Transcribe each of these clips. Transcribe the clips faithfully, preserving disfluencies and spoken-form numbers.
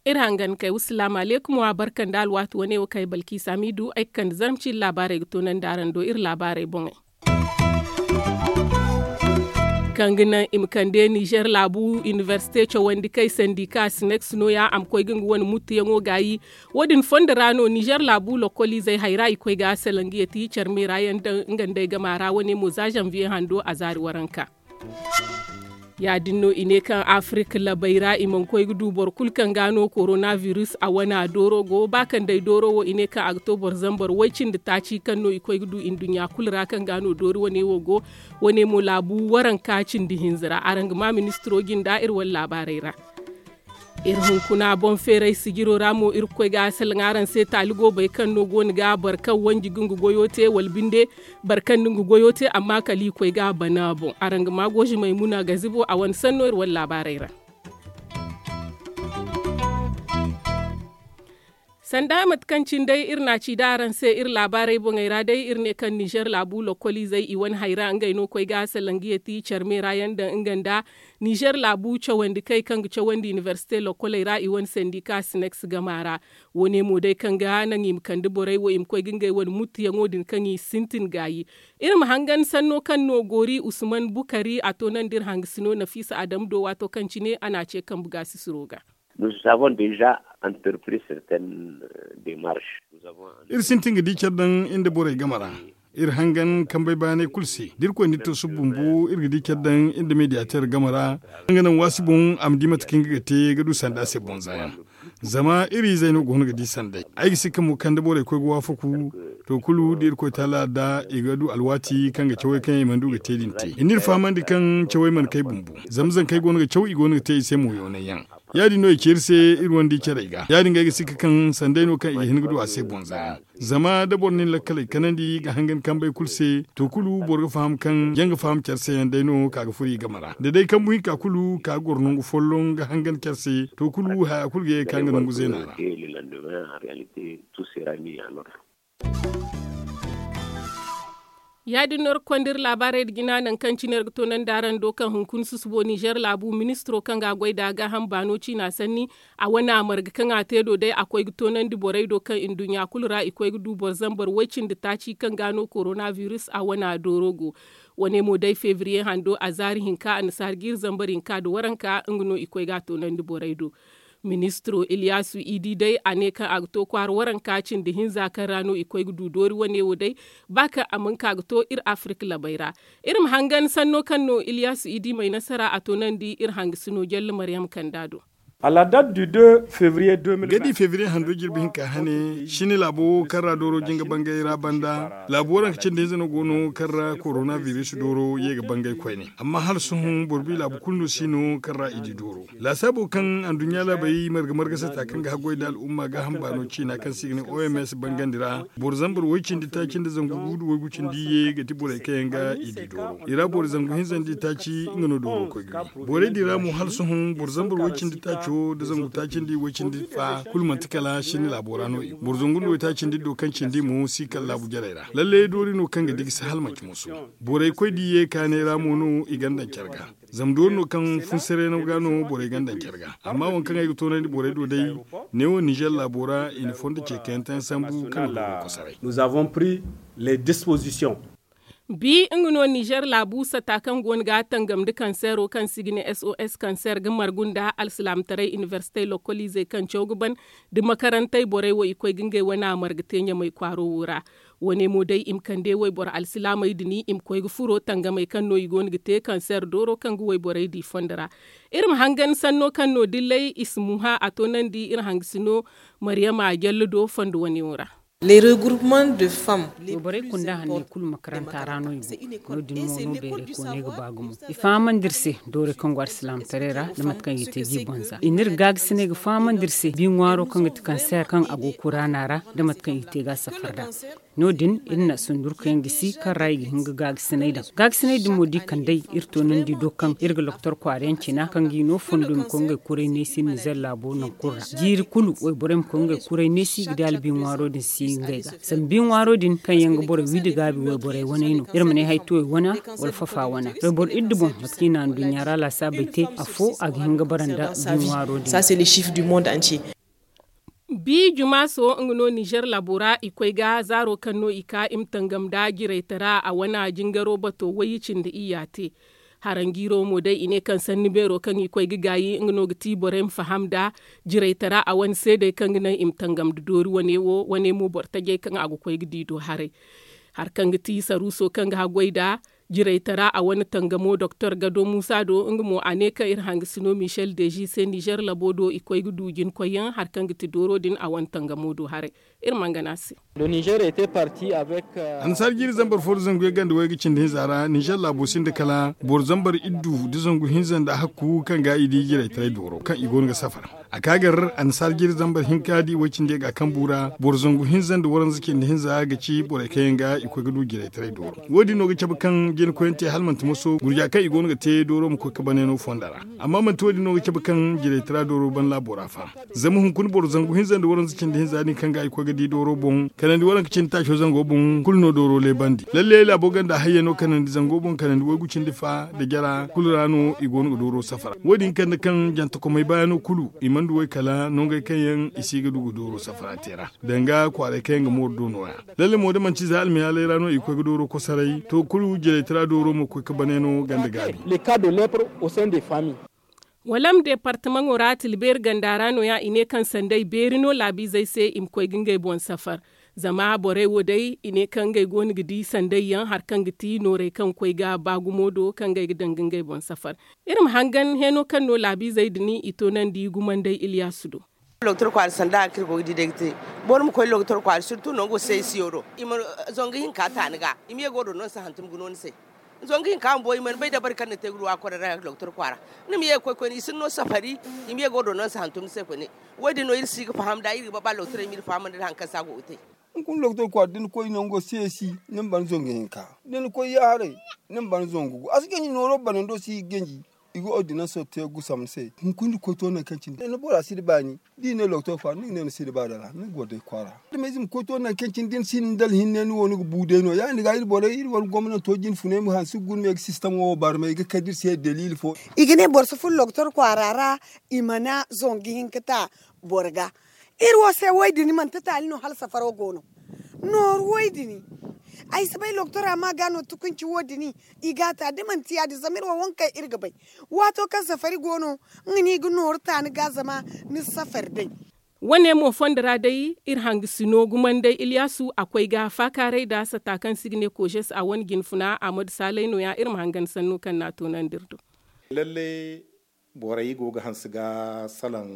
Iri hangan kay wa salaamu aleykum wa barka nda alwaati wane wo kaŋ ay balkiisa miidu ay ga kande zarma ciiri laabaarey ga toonandi araŋ do iri laabaarey boŋey. Kaŋ ga naŋ i ma kande nizer laabu inibersite cawandi kay sandika sineks nooya a ma koy ga nga wane muttuyaŋo gaayi. Wo- din fondo ra no nizer laabu lokoliizey hayra i koy ga salangiya ti care meera yaŋ daŋ nga nd'ey gama ra wane mo za zanviye hando a zaari waranka. Ya- din no i ne kaŋ afirik labey ra i mana koy ga du boro kulu kaŋ ga no korona virus a wana dooro go ba kaŋ day dooro wo i ne kaŋ a ga to boro zambar way- cindi taaci kaŋ no i koy ga du nduɲɲa kulu ra kaŋ ga no doori wane wo go. Wane mo laabu waranka cindi hinza ra araŋ ga ma ministiro jinda iri wane laabaarey ra. Iri hunkuna boŋ feeray sijiro ra mo iri ga koy ga salaŋ araŋ se taali goobey kaŋ no go no ga boro kaŋ wanji ga nga goyo te wala binde boro kaŋ na nga goyo te amma kala i koy ga bana boŋ araŋ ga ma gooji maymuna gazibo a wane sanno iri wane laabaarey ra. Sanda mate kaŋ cine day iri na a ci da araŋ se iri laabaarey boŋey ra day iri ne kaŋ nizer laabu lokoliizey i wane hayra ngey no koy ga salangiya ti care meera yaŋ daŋ nga nda nizer laabu cawandi kay kaŋ ga cawandi inibersite lokoley ra i wane sandika sineks gama ra. Wo- ne mo day kaŋ ga naŋ i ma kande borey wo i ma koy ga ngey wane muttuyaŋo din kaŋ i sintin gaayi. Iri ma hangan sanno kaŋ no goori usman bukari a to naŋ da iri hangasino nafiisa adamu do waato kaŋ cine a na a ce kambe gaasisiro ga. Iri sintin ga di care daŋ iri nda borey game ra. Iri hangan kambey baanay kulu se da irkoy na iri to suba bumbo iri ga di care daŋ iri nda mediyateer game ra. Nga naŋ waasi boŋ a ma di mate kaŋ nga ga te ga du sanda se boŋ za yaŋ. Zama iri izey no go no ga di sanday ay ga si ka mo kaŋ da borey koy ga waafaku. To kulu da irkoy taala da i ga du alwaati kaŋ ga cawey kaŋ i mana du ga te din te i na iri fahamandi kaŋ cawey mana kay bumbo. Zama zankey go no ga caw i go no ga te i se mo yoonay yaŋ. Ya- din no i ci iri se iri wane di carey ga ya- din ga ay ga si ka kaŋ sanday no kaŋ i ga hin ga du a se boŋ za yaŋ. Zama da boro na ni lakkaley kanandi ga hangan kambey kulu se to kulu boro ga faham kaŋ jaŋ ga faham care se yaŋ day no ka ga furo i game ra da day kambu hinka kulu ka ga goro nangu folloŋ ga hangan care se to kulu haya kulu ga ye ga ka nga nangu zeena ra. Ya- din no iri ga konda iri laabaarey nda jina nangu kaŋ cine iri ga toonandi araŋ do kaŋ hunkuna susubo nizer laabu ministiro kaŋ ga a goy nd'a gaaham baano ciina sanni. A wane a marga kaŋ a te do day a koy ga toonandi borey do kaŋ nduɲɲa kulu ra i koy ga du boro zambar way- cindi taaci kaŋ ga no korona virus a wane a dooro go. Wane mo day febriye hando a zaari hinka annasaari jiiri zambar hinka nda waranka nga no i koy ga a toonandi borey do. Ministiro iliyasu idi day a ne kaŋ a ga to kwaara waranka cindi hinza kaŋ ra no i koy ga du doori wane wo day. Ba kaŋ a mana ka ga to iri afirik labey ra. Iri ma hangan sanno kaŋ no iliyasu idi may nasara a toonandi iri hangasino jalle maryam kanda do. Ga di febriye hando jirbi hinka hane sini laabo kaŋ ra dooro jinga bangay ra banda laabu waranka cindi hinza no go no kaŋ ra korona biris dooro ye ga bangay koyne. Amma hala sohõ boro bi laabu kulu no si no kaŋ ra i di dooro laasaabo kaŋ anduɲɲa laabey marga marga sata kaŋ ga haggoy nda al'umma gaaham baano ciina kaŋ se i ga ne oms bangandi ra. Boro zambar way- cindi taaci nda zangu gu nda waygu cindi ye ga ti borey kaŋ yaŋ ga i di dooro i ra boro zangu hinza nda i taaci nga no dooro koy ga wi. Borey din ra mo hala sohõ boro zambar way- cindi taaco nda zangu taaci nda i way- cindi fa kulu manti kala sinni laabo ra no i go boro zangu nda waytaaci nda iddo kaŋ cindi mo si kala laabu jarey ra lalle doori no kaŋ ga digi si hala manci moso. Borey koy da i ye kaanay ra mo no i ganda care ga. Zama doori no kaŋ funsaray no ga no borey ganda care ga amma waŋ kaŋ ay ga toonandi borey do day. Neewo nizer laabo ra i na fondo ce kayantayaŋ sambu kaŋ ga kosaray. Bi nga no nizer laabu sata kaŋ go no ga tangam nda kanseero kaŋ se i ga ne sos kanseer ga margu nda alsilaamataray inibersite lokoliizey kaŋ caw ga ban nda makarantey borey wo i koy ga ngey wane a marga te ɲamay kwaaro wo ra. Wane mo day i ma kande wayboro alsilaamey din i ma koy ga furo tangamey kaŋ no i go no ga te kanseer dooro kaŋ ga wayborey di fondo ra. Iri ma hangan sanno kaŋ no dillay i si muha a toonandi iri hangasino maryama jalle do fondo wane wo ra. Wayborey kunda hanney kulu makaranta ra no i go. No- din mo no beerey kooney ga ba gumo i fahamandi iri se doorey kaŋ go alsilaamataray ra nda mate kaŋ i ga te ga i bonza i n'iri gaagasiney ga fahamandi iri se bi ŋwaaro kaŋ ga ti kanseer kaŋ a go kuraana ra nda mate kaŋ i ga te ga a safar nd'a. No- din iri na sundurkayaŋ gisi kaŋ ra i ga hin ga gaagasiney daŋ gaagasiney din mo da i kand'ey iri toonandi do kaŋ iri ga loktor kwaara yaŋ cina kaŋ ga i no fondo i ma koy ngey kuray neesi nizer laabo nangu kulu ra jiiri kulu wayborey ma koy ngey kuray neesi ga di albi ŋwaaro din si. Ngey ga zama bi ŋwaaro din kaŋ yaŋ ga boro wi da gaabi wayborey waney no iri ma ne haytuwey wana, wala fafa wana wayboro iddu boŋ mate kaŋ i na anduɲɲa ra laasaabey te. Afo a ga hin ga bara nda bi ŋwaaro din. Bi jumaaso nga no ninzeer laabo ra i koy ga zaaro kaŋ no i ka i ma tangam nda jiraytara a wane jingaro bato wayye cindi iyya te. Haranjiiro mo day i ne kaŋ sanni beero kaŋ i koy ga gaayi nga no ga ti borey ma faham nda jiraytara a wane seedey kaŋ ga naŋ i ma tangam nda doori wane wo wane mo boro tajey kaŋ a ga koy ga di do haray. Hari kaŋ ga ti saruuso kaŋ ga haggoy nda jiraytara a wane tangamo doktor gado muusa do nga mo a ne kaŋ iri hangasino michel deji se ninzeer labo do i koy ga du jinkoyyaŋ hari kaŋ ga ti dooro din a wane tangamo do haray. Iri mana gana a se. Annasaara jiiri zambar fo nda zangu yagga nda wayga cindi hinza ra ninzeer laabo sinda kala boro zambar iddu nda zangu hinza nda hakku kaŋ ga i di jiraytaray dooro kaŋ i go no ga safar. A ka gar annasaara jiiri zambar hinka da i way cindi yagga kambu ra boro zangu hinza nda waranza cindi hinza ga ci borey kaŋ yaŋ ga i koy ga du jiraytaray dooro. Wo- din no ga cabe kaŋ jina koyante hala manti moso gurja kaŋ i go no ga te dooro ma koy ga bane no fonda ra. Amma manti wo- din no ga cabe kaŋ jiraytara dooro ban laabo ra fa. Zama hunkuna boro zangu hinza nda waranza cindi hinza din kaŋ ga i koy ga di dooro boŋ kanandi waranka cindi taaco zango boŋ kulu no dooro leebandi lalle laabo ganda hayya no kanandi zango boŋ kanandi waygu cindi fa nda jara kulu ra no i go no ga dooro safara wo- din kande kaŋ jantakomey baayano kulu i mana du way kala nongey kaŋ yaŋ i si ga du ga dooro safara te ra danga kwaaray kaŋ yaŋ ga mooru do no- ya. Lalle mo da manti za almayaaley ra no i ga koy ga dooro kosaray to kulu jiraytara dooro ma koy ga bane no ganda gaabi. Walam deepartamaŋo ra tilbeeri ganda ra no- ya i ne kaŋ sanday beeri no laabiizey se i ma koy ga ngey boŋ safar. Zama borey wo day i ne kaŋ ngey go no ga di sanday yaŋ hari kaŋ ga ti noorey kaŋ ga koy ga ba gumo do kaŋ ngey ga daŋ ga ngey boŋ safar. Iri ma hangan heeno kaŋ no laabiizey din i toonandi gumanday iliyaasu do. Doktor kwaara sanda hari kaŋ iri go ga di day ga te. Boro ma koy doktor kwaara sirtu nango se i siyo do i ma zangu hinka ta ni ga i ma ye ga wo do no ni si hantum ga no ni se. Zangu hinka bumbo i mana bay dabari kaŋ ni te ga du a kwaara ra doktor kwaara. Ni ma ye ga koy koyne i si ni no safari. I ma ye ga wo do no ni si hantum ni se koyne. Wo- din no iri si ga faham nd'a iri ga ba ba doktorey ma iri fahamandi nda hari kaŋ se a go ga te. Hunkuna doktor kwaara da ni koy nango seesi ni ma ban zangu hinka da ni koy yaaharay ni ma ban zangu gu a si ganji nooro banando si ga ganji. I ga ordinanso te gusam ni se hunkuna da koy to nangu kaŋ cine ni bora si da baani. Da i ne doktor kwaara ni ga ne ni si da baani ra ni ga goro day kwaara. Adamize ma koy to nangu kaŋ cine da ni si ni dala hinne ni wo ni ga bu day no- ya- din ga iri borey iri war gomnanto jine funay ma hanse ga guna me ga sistemo wo barmay ga kay da iri se daliili fo. I ga ne boro si furo doktor kwaara ra. I mana zangu hinka ta boro ga. Iri wo se wo- din manti taali no hala safaro go no. Nooru wo- din ay si bay doktora ma ga no tukunci wo- din. I ga a ta da manti ya- din zama iri wo waŋ kaŋ iri ga bay waato kaŋ safari go no. Nga no i ga nooru ta ni ga zama ni si safari day. Wane mo fondo ra day iri hangasino gumanday iliyaasu a koy ga faakaaray nda sata kaŋ se i ga ne kooses a wane jinfuna ahmadu saalay no- ya iri ma hangan sanno kaŋ no a toonandi iri do. Lalle borey go ga hanse ga salaŋ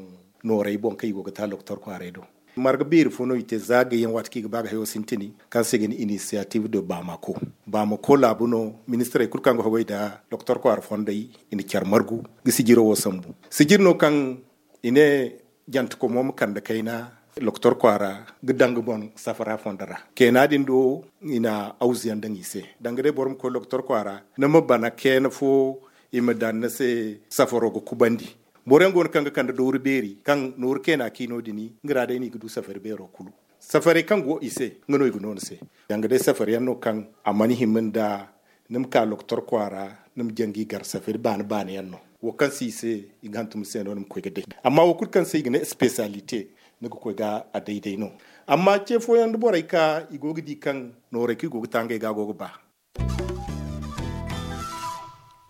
noorey boŋ kaŋ i go ga ta doktor kwaaray do. Marga beeri fo no i te za gayyaŋ waati kaŋ i ga ba ga hayo sintini kaŋ se i ga ne inisiyatif de bamako. Bamako laabu no ministirey kulu kaŋ ga haway nda doktor kwaara fondey i na care margu ga sijiro wo sambu. Sijiri no kaŋ i ne jantakomo ma kande kayna doktor kwaara ga daŋ ga boŋ safara fondo ra. Keena din do i na awzuyaŋ daŋ i se danga day boro ma koy doktor kwaara ni ma bana keena fo. I ma daŋ ni se safaro ga kubandi. Boro yaŋ go no kaŋ ga kande dooru beeri kaŋ nooru keena kiino din nga ra day no i ga du safari beero kulu. Safarey kaŋ go i se nga no i ga no ni se. Danga day safari yaŋ no kaŋ a mana hima nda ni ma ka doktor kwaara ni ma jangi gar safari baani baani yaŋ no. Wo kaŋ se i se i ga hantum se no ni ma koy ga day. Amma wo kulu kaŋ se i ga ne espesiyalite ni ga koy ga a day day no. Amma ce fooyaŋ da borey ka i go ga di kaŋ noorey kaŋ i go ga ta ngey ga a go ga ba.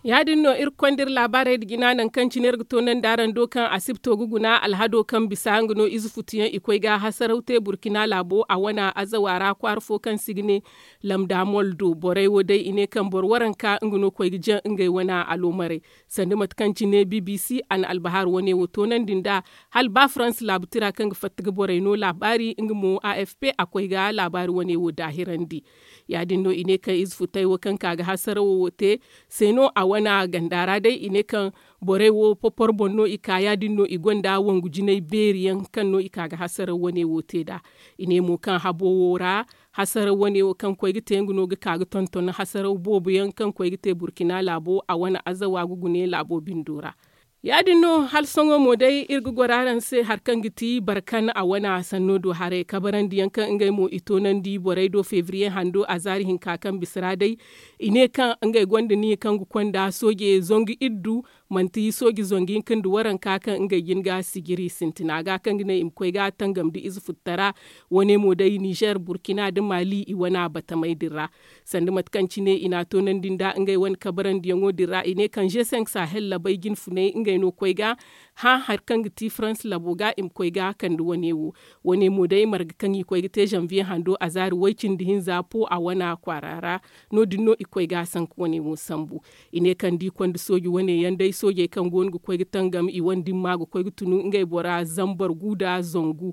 Ya- din no iri ga konda iri laabaarey nda jina nangu kaŋ cine iri ga toonandi araŋ do kaŋ asibto ga guna alhado kaŋ bisa nga no ize futuyaŋ i koy ga hasaraw te burkina laabo a wane azawa ra kwaara fo kaŋ se i ga ne lamda mol do borey wo day i ne kaŋ boro waranka nga no koy ga jaŋ ngey wane aloomarey. Sanda mate kaŋ cine bbc a na albahar wane wo toonandi nd'a hala ba farans laabu tira kaŋ ga fatta ga borey no laabaari nga mo afp a koy ga laabaari wane wo daahirandi. Ya- din no i ne kaŋ ize futay wo kaŋ ka ga hasarawo wo te se no a wane ganda ra day i ne kaŋ borey wo popor boŋ no i ka ya- din no i gonda wangu jinay beeri yaŋ kaŋ no i ka ga hasaraw wane wo te nd'a. I ne mo kaŋ habo wo ra hasaraw wane wo kaŋ koy ga te nga no ga ka ga tonton hasaraw boobo yaŋ kaŋ koy ga te burkina laabo a wane azawa ga gune laabo bindo ra. Ya- din no hala sohõ mo day iri ga goro araŋ se hari kaŋ ga ti barkan a wane sanno do haray kabarandi yaŋ kaŋ ngey mo i toonandi borey do febriye hando a zaari hinka kaŋ bisa ra day. I ne kaŋ ngey gonda niya kaŋ ga konda sooje zangu iddu, manti sooje zangu hinka nda waranka kaŋ ngey jin ga sijiri sintina ga kaŋ ga ne i ma koy ga tangam da ize futtara. Wane mo day nizer burkina nda mali i wane batamey din ra. Sanda mate kaŋ cine i n'a toonandi nda ngey wane kabarandiyaŋo din ra i ne kaŋ g cinq sahel labey jinfuney ngey no koy ga hã hari kaŋ ga ti farans labo ga i ma koy ga kande wane wo. Wane mo day marga kaŋ i koy ga te zanviye hando a zaari way- cindi hinza po a wane kwaara ra. No- din no i koy ga sanka wane wo sambu. I ne kaŋ da i konda sooji wane yaŋ day soojey kaŋ go no ga koy ga tangam i wane dimma ga koy ga tunu ngey bora zambar gu nda zangu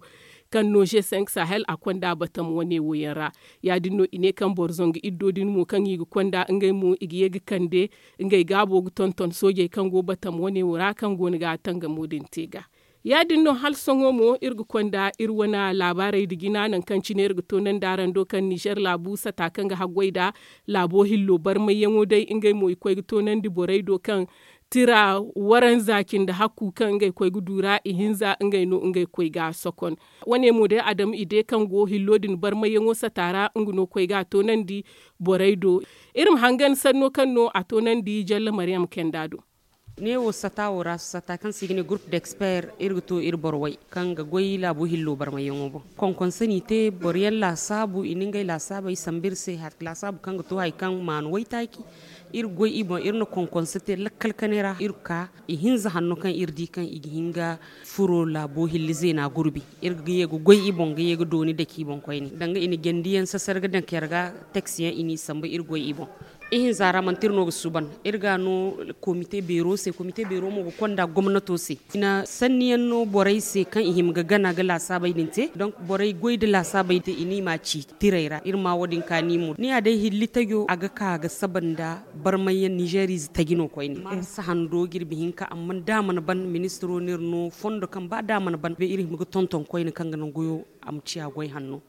kaŋ no g cinq sahel a konda batam wane wo yaŋ ra. Ya- din no i ne kaŋ boro zangu iddo din mo kaŋ i ga konda ngey mo i ga ye ga kande ngey gaabo ga tonton soojey kaŋ go batam wane wo ra kaŋ go no ga tangamo din te ga. Ya- din no hala sohõ mo iri ga konda iri wane laabaarey nda jina nangu kaŋ cine iri ga toonandi araŋ do kaŋ nizer laabu sata kaŋ ga haggoy nda laabo hillo barmayyaŋo day ngey mo i koy ga toonandi borey do kaŋ tira waranza cindi hakku kaŋ ngey koy ga du ra ihinza ngey no ngey koy ga sokon. Wane mo day adam ide kaŋ go hillo din barmayyaŋo sata ra nga no koy ga a toonandi borey do. Iri ma hangan sanno kaŋ no a toonandi jalla maryam kenda do. Neewo sata wo ra sata kaŋ se i ga ne groupe d'expert iri ga to iri boro way kaŋ ga goy laabo hillo barmayyaŋo boŋ. Konkonse n'i te boro yaŋ laasaabu i na ngey laasaabey sambu iri se laasaabu kaŋ ga to hari kaŋ maanu waytaaci. Iri goy i boŋ iri na konkonse te lakkal kanay ra iri ga ka ihinza hanno kaŋ iri di kaŋ i ga hin ga furo laabo hilli zeena gurbi. Iri ga ye ga goy i boŋ ga ye ga dooni dake i boŋ koyne danga i na jandi yaŋ sasar ga daŋ care ga. Teks yaŋ i n'i sambu iri goy i boŋ. Ihinza ra manti iri no ga suuban iri ga no komite beero se komite beero mo ga konda gomnato se i na sanni yaŋ no borey se kaŋ i hima ga gana ga laasaabey din te donk borey goy nda laasaabey te i n'i ma ci tirey ra iri ma wo- din kaani mo ni ya day hilli tajo a ga ka ga saba nda barmay yaŋ nizer ize taji no koyne. Sahando jirbi hinka amma da a mana ban ministiro no iri no fondo kaŋ ba da a mana ban bay iri hima ga tonton koyne kaŋ ga naŋ goyo a ma ciya goy hanno.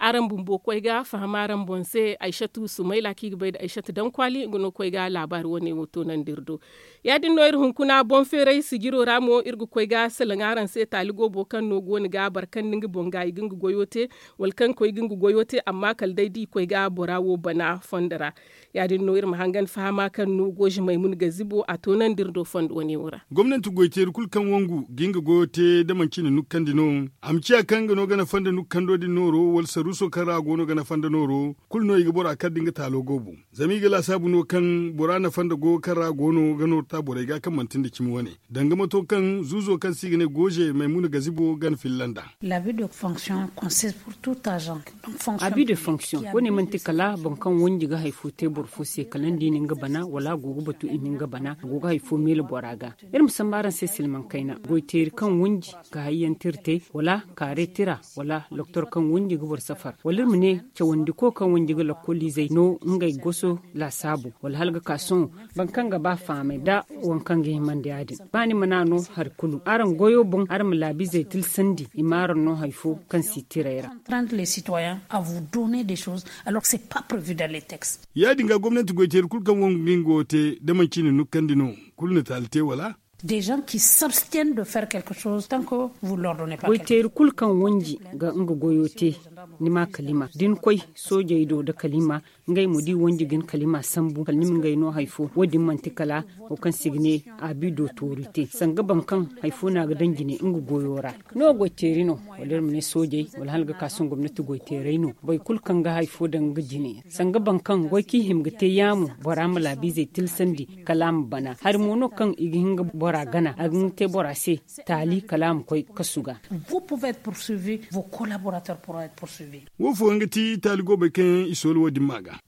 Araŋ bumbo koy ga faham araŋ boŋ se aysatu sumayla kaŋ i ga bay nda aysatu daŋ kwaali nga no koy ga laabaari wane wo toonandi iri do. Ya- din no iri hunkuna boŋ feeray sijiro ra mo iri ga koy ga salaŋ araŋ se taali goobo kaŋ no go no ga boro kaŋ nda nga boŋ ga i ga nga goyo te wala kaŋ koy ga nga goyo te amma kala day da i koy ga bora wo bana fondo ra. Ya- din no iri ma hangan fahama kaŋ no goozimey mun ga zibo a toonandi iri do fondo wane wo ra. Gomnanti goyteeri kulu kaŋ wangu ga nga goyo te da manci na nukkandi no a ma ciya kaŋ nga no gana fanda nukkando din nooro wala saruuso kaŋ ra a go no gana fanda nooro. Kulu no i ga bora kar da nga taalo goobo zama i ga laasaabu no kaŋ bora nafa nda goyo kaŋ ra a go no ga nooru ta borey ga kaŋ manti nda cimi wane danga mato kaŋ zuuzo kaŋ se i ga ne gooze maymuna gazibo gana filla nd'a. Abi de fonction wane manti kala boro kaŋ wanji ga hari fo te boro fo se kala ni di ni nga bana wala a go ga batu i ma nga bana a go ga hari fo meele bora ga. Iri ma sambu araŋ se silmaŋ kayna goyteeri kaŋ wanji ga hari yaŋ tira te wala kaare tira wala doktor kaŋ wanji ga boro safar wala iri ma ne cawandiko kaŋ wanji ga lakkoliizey no ngey goso laasaabu wala hala ga ka sohõ. Boro kaŋ ga ba fahamay nda waŋ kaŋ ga himandi ya- din ba ni mana no hari kulu araŋ goyo boŋ araŋ ma laabiizey tilsandi i ma araŋ no hari fo kaŋ si tirey ra. Ya- din ga gomnanti goyteeri kulu kaŋ wangu ga nga goyo te da manci i na nukkandi no kulu na taali te wala? Goyteeri kulu kaŋ wanji ga nga goyo te ni ma kalima da ni koy soojey do nda kalima ngey mo da i wanji ga ni kalima sambu kala ni ma ngey no hari fo wo- din manti kala wo kaŋ se i ga ne abi dotorite sanga boro kaŋ hari fo no a ga daŋ jine nga goyo ra. No goyteeri no wala iri ma ne soojey wala hala ga ka sohõ gomnati goyteerey no boro kulu kaŋ ga hari fo daŋ nga jine sanga boro kaŋ goy kaŋ i hima ga te yaamo bora ma laabiizey tilsandi kala a ma bana hari mo no kaŋ i ga hin ga bora gana a ga hin ga te bora se taali kala a ma koy kasu ga. Wo fooyaŋ ga ti taali goobey kaŋ yaŋ i soola wo- din ma ga.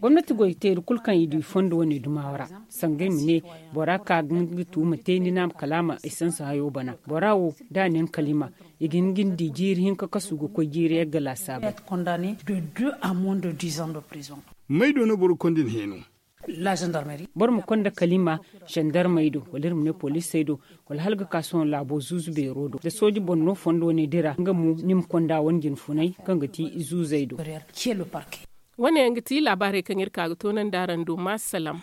Gomnati goyteeri kulu kaŋ i du i fondo wane dumawa ra sanga ay ma ne bora ka ga nga tuuma te ni na kala a ma esanse hayo bana bora wo da a ne nga kalima i ga hin ga ni di jiiri hinka kasu ga koy jiiri yagga laasaabey. May do no boro ga konda ni heeno? Boro ma konda kalima zandarmey do wala iri ma ne poliisey do wala hala ga ka sohõ laabo zuuzu beero do da sooji boro no fondo wane dira nga mo ni ma konda wane jinfunay kaŋ ga ti zuuzey do. Wane yaŋ ga ti laabaarey kaŋ iri ka ga toonandi araŋ do ma salaam.